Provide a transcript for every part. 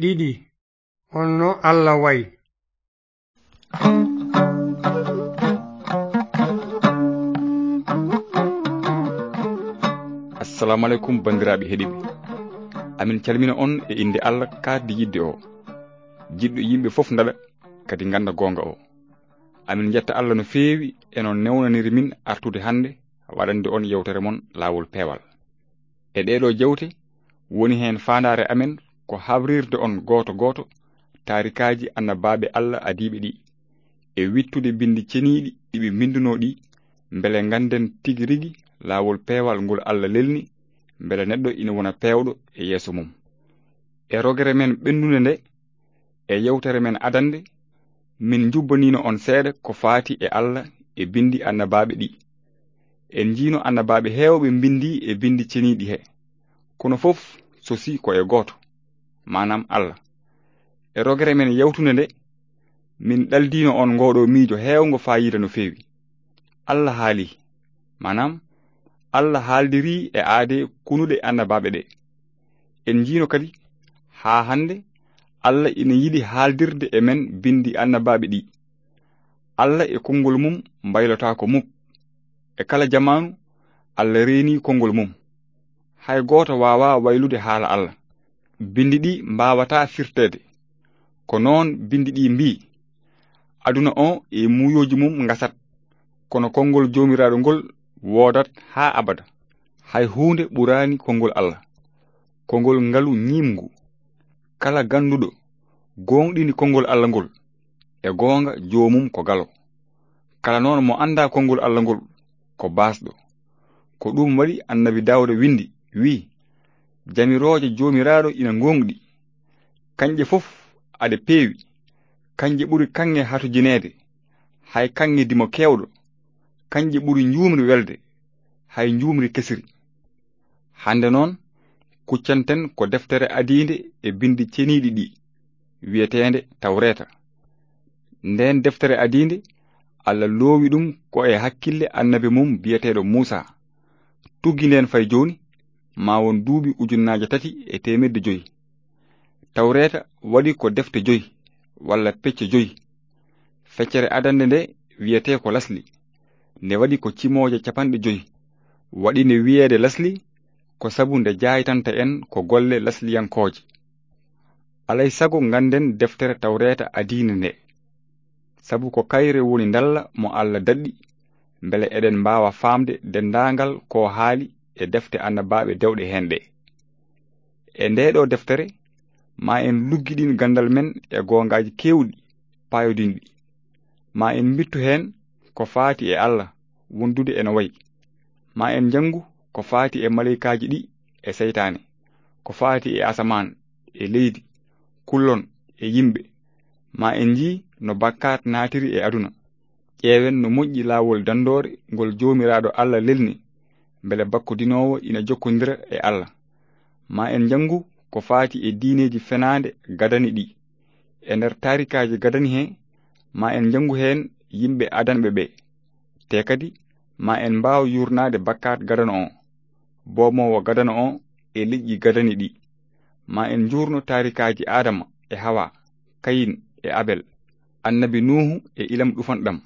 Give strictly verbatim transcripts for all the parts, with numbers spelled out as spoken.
ɗiɗi. Honno Allah wayi? Assalamu alaikum, banndiraaɓe heɗiiɓe. Amin calmina on e innde Allah kaaddi yiɗde o, jiɗɗo yimɓe fof ndaɗa, kadi ngannda goonga o. Amin njetta Allah no feewi e no newnaniri min artude hannde waɗande on yewtere mon Laawol Peewal. E ɗeeɗo jewte, woni heen faandaare amen ko habrirde on gooto gooto taarikaaji annabaaɓe Allah adiiɓe ɗi, e wittude binndi ceniiɗi ɗi ɓe mbinndunoo ɗi, mbele ngannden tigi rigi laawol peewal ngol Allah lelni, mbele neɗɗo ina wona peewɗo e yeeso mum. E rogere men ɓennunde nde, e yewtere men adannde, min njubbaniino on seeɗa ko faati e Allah e binndi annabaaɓe ɗi. En njiino annabaaɓe heewɓe mbinndi e binndi ceniiɗi he, kono fof sosi ko e gooto, maanaam Allah. E rogere men yawtunde nde, min ɗaldiino on ngooɗo miijo heewngo faayiida no feewi. Allah haali, maanaam Allah haaldirii e aadee kunuɗe annabaaɓe ɗe. En njiino kadi haa hannde Allah ina yiɗi haaldirde e men binndi annabaaɓe ɗi. Allah e konngol mum mbaylotaako muk. E kala jamaanu, Allah reenii konngol mum. Hay gooto waawaa waylude haala Allah. Binndi ɗi mbaawataa firteede. Ko noon binndi ɗi mbii, aduna o e muuyooji mum ngasat, kono konngol Joomiraaɗo ngol woodat haa abada. Hay huunde ɓuraani konngol Allah. Konngol ngalu ñiimngu. Kala gannduɗo gooŋɗini konngol Allah ngol, e goonga joomum ko galo. Kala noon mo anndaa konngol Allah ngol, ko baasɗo. Ko ɗum waɗi annabi Daawda winndi, wi'i, jamirooje Joomiraaɗo ina ngooŋɗi. Kañƴe fof aɗe peewi. Kañƴe ɓuri kaŋŋe hatujineede. Hay kaŋŋe dimo keewɗo. Kañƴe ɓuri njuumri welde. Hay njuumri kesiri. Hannde noon, kuccanten ko deftere adiinde e binndi ceniiɗi ɗi, wiyeteende Tawreeta. Ndeen deftere adiinde, Allah loowi ɗum ko e hakkille annabi mum biyeteeɗo Muusaa. Tuggi ndeen fay jooni, maa won duuɓi ujunnaaje tati e teemedde joy. Tawreeta waɗi ko defte joy, walla pecce joy. Feccere adannde nde wiyetee ko Lasli. Nde waɗi ko cimooje capanɗe joy. Waɗi nde wiyeede Lasli ko sabu nde jaaytanta en ko golle lasliyankooje. Alay sago ngannden deftere Tawreeta adiinde nde. Sabu ko kayre woni ndalla mo Allah daɗɗi, mbele eɗen mbaawa faamde denndaangal ko haali e defte annabaaɓe dewɗe heen ɗe. E ndee ɗoo deftere, maa en luggiɗin ganndal men e goongaaji keewɗi paayodinɗi. Maa en mbittu heen ko faati e Allah wondude eno wayi. Maa en njanngu ko faati e maleykaaji ɗi e seytaane, ko faati e asamaan, e leydi, kullon, e yimɓe. Maa en njii no bakkaat naatiri e aduna. Ƴeewen no moƴƴi laawol danndoore ngol Joomiraaɗo Allah lelni, mbele bakkodinoowo ina jokkondira e Allah. Maa en njanngu ko faati e diineeji fenaande gadani ɗi. E nder taarikaaji gadani he, maa en njanngu heen yimɓe adanɓe ɓe. Te kadi, maa en mbaaw yuurnaade bakkaat gadano o, boomoowo gadano o e leƴƴi gadani ɗi. Maa en njuurno taarikaaji Aadama e Hawa, Kayin e Abel, annabi Nuuhu e ilam ɗufanɗam,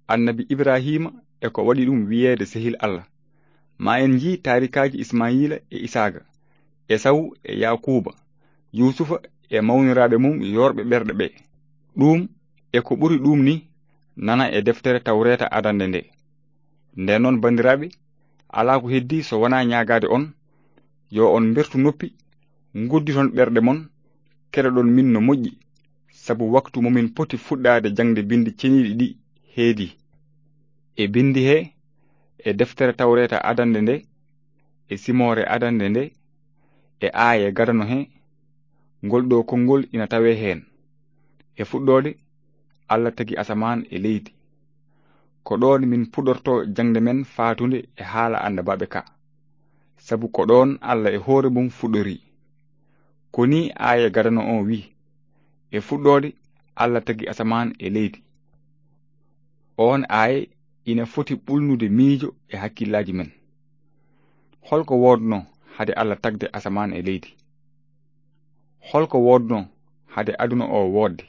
annabi Ibraahiima e ko waɗi ɗum wiyeede sehil Allah. Maa en njii taarikaaji Ismaayiila e Isaaga, Esawu e Yaakuuba, Yuusufa e mawniraaɓe mum yoorɓe ɓerɗe ɓe. Ɗum e ko ɓuri ɗum ni nana e deftere Tawreeta adannde nde. Nden noon, banndiraaɓe, alaa ko heddii so wonaa ñaagaade on, yo on mbertu noppi, ngudditon ɓerɗe mon, keɗoɗon min no moƴƴi, sabu waktu mo min poti fuɗɗaade jaŋde binndi ceniiɗi ɗi heedii. E binndi he, e deftere Tawreeta adannde nde, e simoore adannde nde, e aaye gadano he, ngol ɗo konngol ina tawee heen. E fuɗɗoode, Allah tagi asamaan e leydi. Ko ɗoon min puɗorto jaŋde men faatunde e haala annabaaɓe ka. Sabu ko ɗoon Allah e hoore mum fuɗɗori. Ko nii aaye gadano o wi, e fuɗɗoode, Allah tagi asamaan e leydi. Oon aaye ina foti ɓulnude miijo e hakkillaaji men. Hol ko woodnoo hade Allah tagde asamaan e leydi? Holko woodnoo hade aduna o woodde?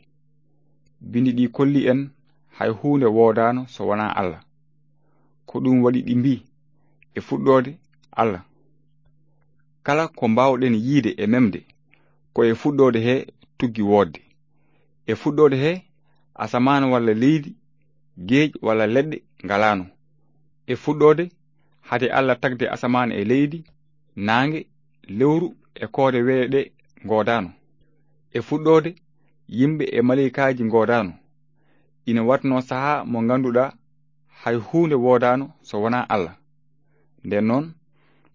Bindi ɗi kolli en hay huunde woodaano so wonaa Allah. Ko ɗum waɗi ɗi mbii, e fuɗɗoode, Allah. Kala ko mbaawɗen yiide e memde, ko e fuɗɗoode he tuggi woodde. E fuɗɗoode he, asamaan walla leydi, geej walla leɗɗe ngalaano. E fuɗɗoode, hade Allah tagde asamaan e leydi, naange, lewru e koode weeyo ɗe ngoodaano. E fuɗɗoode, yimɓe e maleykaaji ngoodaano. Ina waɗnoo sahaa mo ngannduɗaa hay huunde woodaano so wonaa Allah. Nden noon,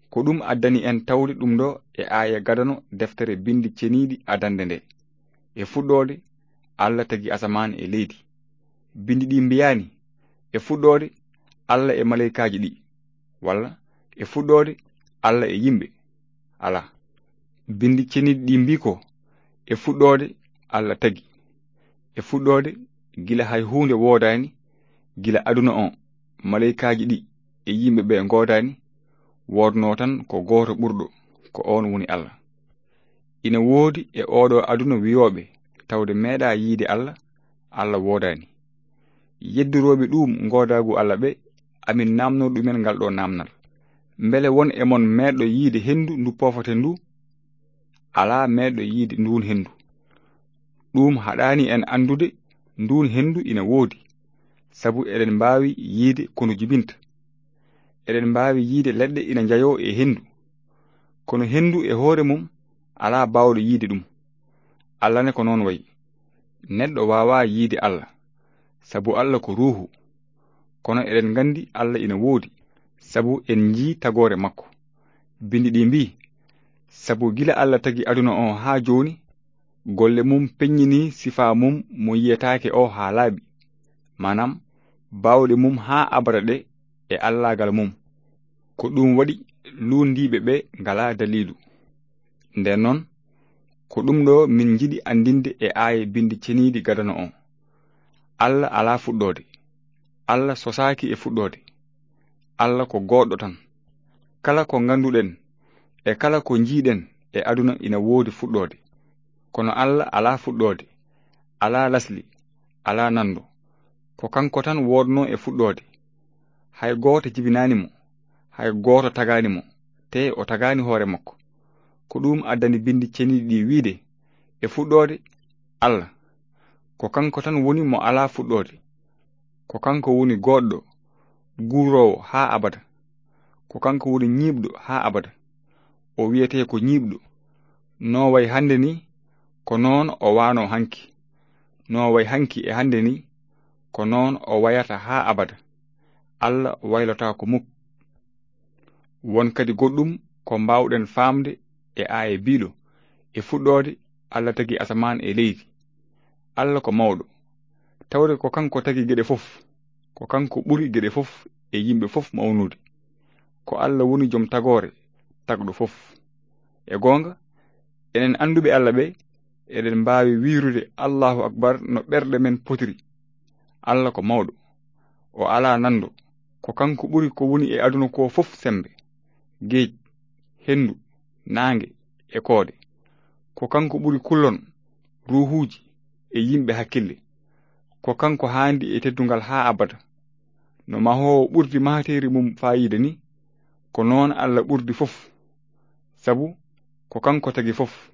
ko ɗum addani en tawde ɗum ɗo e aaya gadano deftere Bindi Ceniiɗi adannde nde. E fuɗɗoode, Allah tagi asamaan e leydi. Bindi ɗi mbiyaani, e fuɗɗoode, Allah e maleykaaji ɗi, walla e fuɗɗoode, Allah e yimɓe. Alaa. Bindi Ceniiɗi ɗi mbii ko, e fuɗɗoode, Allah tagi. E fuɗɗoode, gila hay huunde woodaani, gila aduna o, maleykaaji ɗi e yimɓe ɓe ngoodaani, woodnoo tan ko gooto ɓurɗo, ko oon woni Allah. Ina woodi e ooɗo aduna wiyooɓe tawde meeɗaa yiide Allah, Allah woodaani. Yeddorooɓe ɗum ngoodaagu Allah ɓe, amin naamnoo ɗumen ngal ɗo naamnal. Mbele won e mon meeɗɗo yiide henndu ndu poofaten ndu? Alaa meeɗɗo yiide nduun henndu. Ɗum haɗaani en anndude nduun henndu ina woodi, sabu eɗen mbaawi yiide ko ndu jibinta. Eɗen mbaawi yiide leɗɗe ina njayoo e henndu. Kono henndu e hoore mum alaa baawɗo yiide ɗum. Allah ne ko noon wayi. Neɗɗo waawaa yiide Allah, sabu Allah ko ruuhu. Kono eɗen nganndi Allah ina woodi, sabu en njii tagoore makko. Bindi ɗi mbii, sabu gila Allah tagi aduna o haa jooni, golle mum peññinii sifaa mum mo yiyetaake o haa laaɓi, maanaam baawɗe mum haa abada ɗe e allaagal mum. Ko ɗum waɗi luundiiɓe ɓe ngalaa daliilu. Nden noon, ko ɗum ɗo min njiɗi anndinde e aaye Bindi Ceniiɗi gadano o. Allah alaa fuɗɗoode. Allah sosaaki e fuɗɗoode. Allah ko goɗɗo tan. Kala ko ngannduɗen e kala ko njiiɗen e aduna ina woodi fuɗɗoode. Kono Allah alaa fuɗɗoode, alaa lasli, alaa nanndo. Ko kanko tan woodnoo e fuɗɗoode. Hay gooto jibinaani mo, hay gooto tagaani mo, te o tagaani hoore makko. Ko ɗum addani Bindi Ceniiɗi ɗi wiide, e fuɗɗoode, Allah. Ko kanko tan woni mo alaa fuɗɗoode. Ko kanko woni goɗɗo, guuroowo haa abada. Ko kanko woni ñiiɓɗo haa abada. O wiyetee ko ñiiɓɗo. No way hannde ni, ko noon o waano hanki. No way hanki e hannde ni, ko noon o wayata haa abada. Allah waylotaako muk. Won kadi goɗɗum ko mbaawɗen faamde e aaye biiɗo, e fuɗɗoode Allah tagi asamaan e leydi. Allah ko mawɗo. Tawde ko kanko tagi geɗe fof, ko kanko ɓuri geɗe fof e yimɓe fof mawnude. Ko Allah woni joom tagoore, tagɗo fof. E goonga, enen annduɓe Allah ɓe, eɗen mbaawi wiirude Allahu Akbar no ɓerɗe men potiri. Allah ko mawɗo. O alaa nanndo. Ko kanko ɓuri ko woni e aduna ko fof semmbe. Geej, henndu, naange, e koode. Ko kanko ɓuri kullon, ruuhuuji, e yimɓe hakkille. Ko kanko haandi e teddungal haa abada. No mahoowo ɓurdi mahateeri mum faayiida ni, ko noon Allah ɓurdi fof. Sabu ko kanko tagi fof.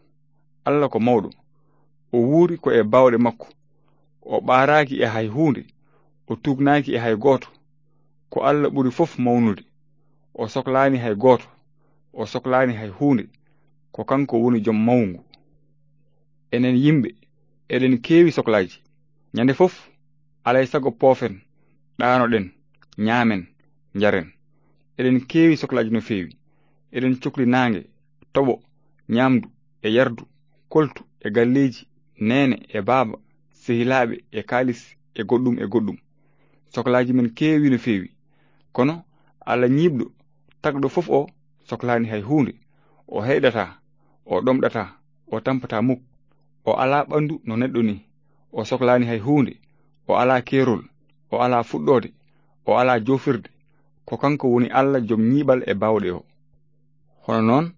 Allah ko mawɗo. O wuuri ko e baawɗe makko. O ɓaaraaki e hay huunde. O tuugnaaki e hay gooto. Ko Allah ɓuri fof mawnude. O soklaani hay gooto. O soklaani hay huunde. Ko kanko woni joom mawngu. Enen yimɓe, eɗen keewi soklaaji. Ñande fof, alay sago poofen, ɗaanoɗen, ñaamen, njaren. Eɗen keewi soklaaji no feewi. Eɗen cokli naange, toɓo, ñaamdu, e yardu, koltu, e galleeji, neene, e baaba, sehilaaɓe, e kaalis, e goɗɗum, e goɗɗum. Soklaaji men keewi no feewi. Kono Allah ñiiɓɗo, tagɗo fof o, soklaani hay huunde. O heyɗataa, o ɗomɗataa, o tampataa muk. O alaa ɓanndu no neɗɗo ni. O soklaani hay huunde. O alaa keerol. O alaa fuɗɗoode. O alaa joofirde. Ko kanko woni Allah joom ñiiɓal e baawɗe o. Hono noon,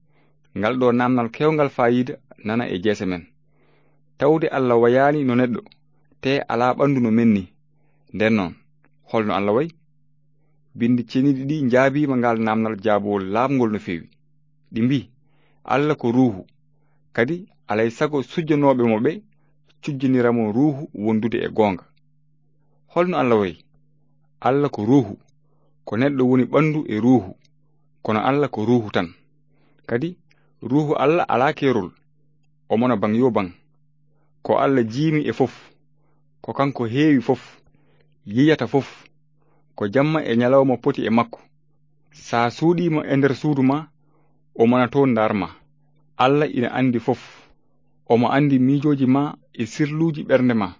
ngal ɗo naamnal keewngal faayiida nana e jeese men. Tawde Allah wayaani no neɗɗo, te alaa ɓanndu no men ni. Nden noon, holno Allah wayi? Binndi ceniiɗi ɗi njaabiima ngal naamnal jaabowol laaɓngol no feewi. Ɗi mbii, Allah ko ruuhu, kadi alay sago sujjanooɓe mo ɓe cujjanira mo ruuhu wondude e goonga. Holno Allah wayi? Allah ko ruuhu, ko neɗɗo woni ɓanndu e ruuhu, kono Allah ko ruuhu tan. Kadi ruuhu Allah alaa keerol, o mona baŋ yo baŋ. Ko Allah jiimi e fof, ko kanko heewi fof, yiyata fof, ko jamma e ñalawma poti e makko. Sa suuɗiima e nder suudu ma, o mona toon ndaar ma. Allah ina anndi fof, omo anndi miijooji ma e sirluuji ɓernde ma.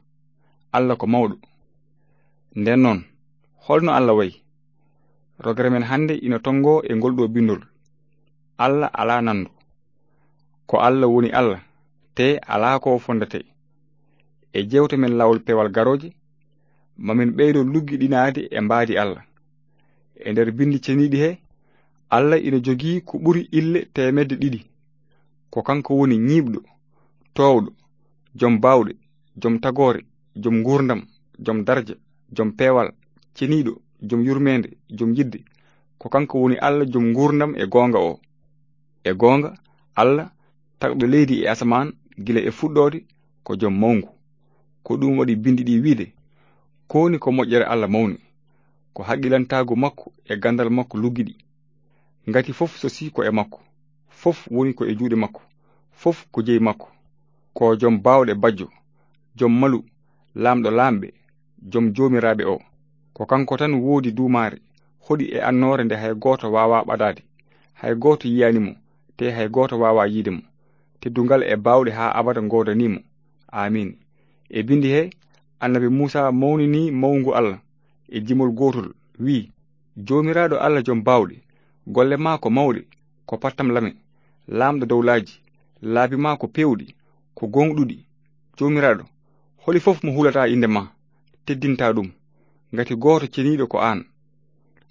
Allah ko mawɗo. Nden noon, holno Allah wayi? Rogere men hannde ina tonngoo e ngol ɗo binndol. Allah alaa nanndo. Ko Allah woni Allah, te alaa ko fondate. E jeewte men laawol peewal garooje, ma min ɓeydo luggiɗinaade e mbaadi Allah. E nder binndi ceniiɗi he, Allah ina jogii ko ɓuri ille teemedde ɗiɗi. Ko kanko woni ñiiɓɗo, toowɗo, jom baawɗe, jom tagoore, jom nguurndam, jom darja, jom peewal, ceniiɗo, jom yurmeende, jom yidde. Ko kanko woni Allah jom nguurndam e goonga o. E goonga, Allah, tagɗo leydi e asamaan gila e fuɗɗoode, ko jom mawngu. Ko ɗum waɗi binndi ɗi wiide, kowni ko moƴƴere Allah mawni, ko haqqilantaagu makko e ganndal makko luggiɗi. Ngati fof sosii ko e makko, fof woni ko e juuɗe makko, fof ko jeyi makko. Ko jom baawɗe bajjo, jom malu, laamɗo laamɓe, jom joomiraaɓe o. Ko kanko tan woodi duumaare, hoɗi e annoore nde hay gooto waawaa ɓadaade, hay gooto yiyaani mo, te hay gooto waawaa yiide mo. Teddungal e baawɗe haa abada ngoodanii mo. Aamiin. E binndi he, annabi Muusaa mawninii mawngu Allah e jimol gootol, wii, Joomiraaɗo Allah jom baawɗe, golle maa ko mawɗe, ko pattam lame, laamɗo dowlaaji, laabi maa ko peewɗi, ko gooŋɗuɗi. Joomiraaɗo, holi fof mo hulataa innde maa, teddintaa ɗum, ngati gooto ceniiɗo ko aan.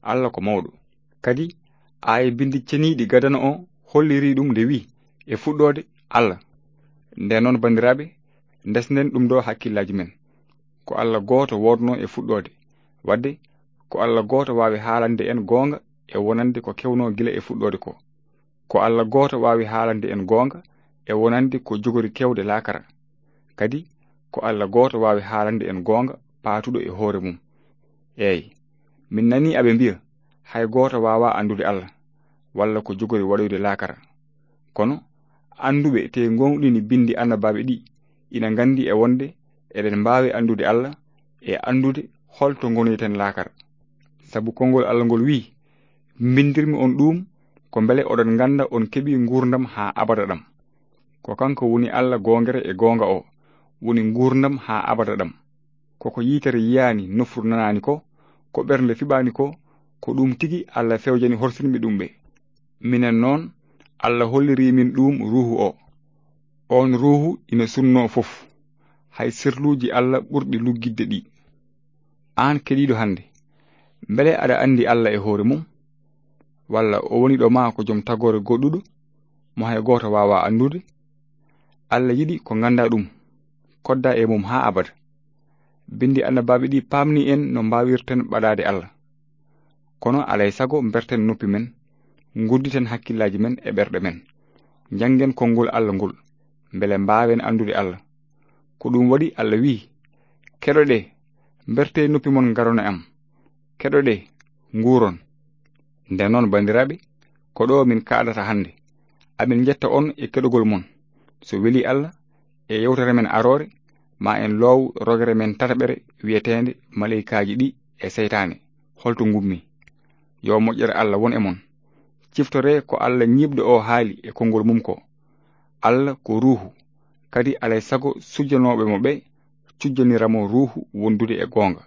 Allah ko mawɗo. Kadi, aaye binndi ceniiɗi gadano o hollirii ɗum nde wii, e fuɗɗoode, Allah. Nden noon, banndiraaɓe, ndesnen ɗum ɗo hakkillaaji men. Ko Allah gooto woodnoo e fuɗɗoode. Waɗde, ko Allah gooto waawi haalande en goonga e wonande ko kewnoo gila e fuɗɗoode ko. Ko Allah gooto waawi haalande en goonga e wonande ko jogori kewde laakara. Kadi, ko Allah gooto waawi haalande en goonga paatuɗo e hoore mum. Eey, min nanii aɓe mbiya, hay gooto waawaa anndude Allah, walla ko jogori waɗoyde laakara. Kono, annduɓe te gooŋɗini binndi annabaaɓe ɗi, ina nganndi e wonde eɗen mbaawi anndude Allah e anndude holto ngonoyten laakara. Sabu konngol Allah ngol wii, mbindirmi on ɗum ko mbele oɗon ngannda on keɓi nguurndam haa abada ɗam. Ko kanko woni Allah goongere e goonga o, woni nguurndam haa abada ɗam. Koko yitere yiyaani, nofru nanaani ko, ko ɓernde fiɓaani ko, ko ɗum tigi Allah fewjani horsinɓe ɗum ɓe. Minen noon, Allah holliri min ɗum Ruuhu o. Oon Ruuhu ina sunnoo fof, hay sirluuji Allah ɓurɗi luggidde ɗi. Aan keɗiiɗo hannde, mbele aɗa anndi Allah e hoore mum? Walla o woni ɗo maa ko jom tagoore goɗɗuɗo, mo hay gooto waawaa anndude? Allah yiɗi ko nganndaa ɗum, koddaa e mum haa abada. Binndi annabaaɓe ɗi paamni en no mbaawirten ɓadaade Allah. Kono alay sago mberten noppi men, ngudditen hakkillaaji men e ɓerɗe men. Njanngen konngol Allah ngol, mbele mbaawen anndude Allah. Ko ɗum waɗi Allah wi'i, keɗoɗee, mbertee noppi mon ngaron e am. Keɗoɗee, nguuron. Nden noon, banndiraaɓe, ko ɗo min kaaɗata hannde. Amin njetta on e keɗogol mon. So weli Allah, e yewtere men aroore, ma en loow rogere men tataɓere wi'eteende maleykaaji ɗi e seytaane, holto ngummi. Yo moƴƴere Allah won e mon. Ciftoree ko Allah ñiiɓɗo o haali e konngol mum ko, Allah ko Ruuhu, kadi alay sago sujjanooɓe mo ɓe cujjanira mo Ruuhu wondude e goonga.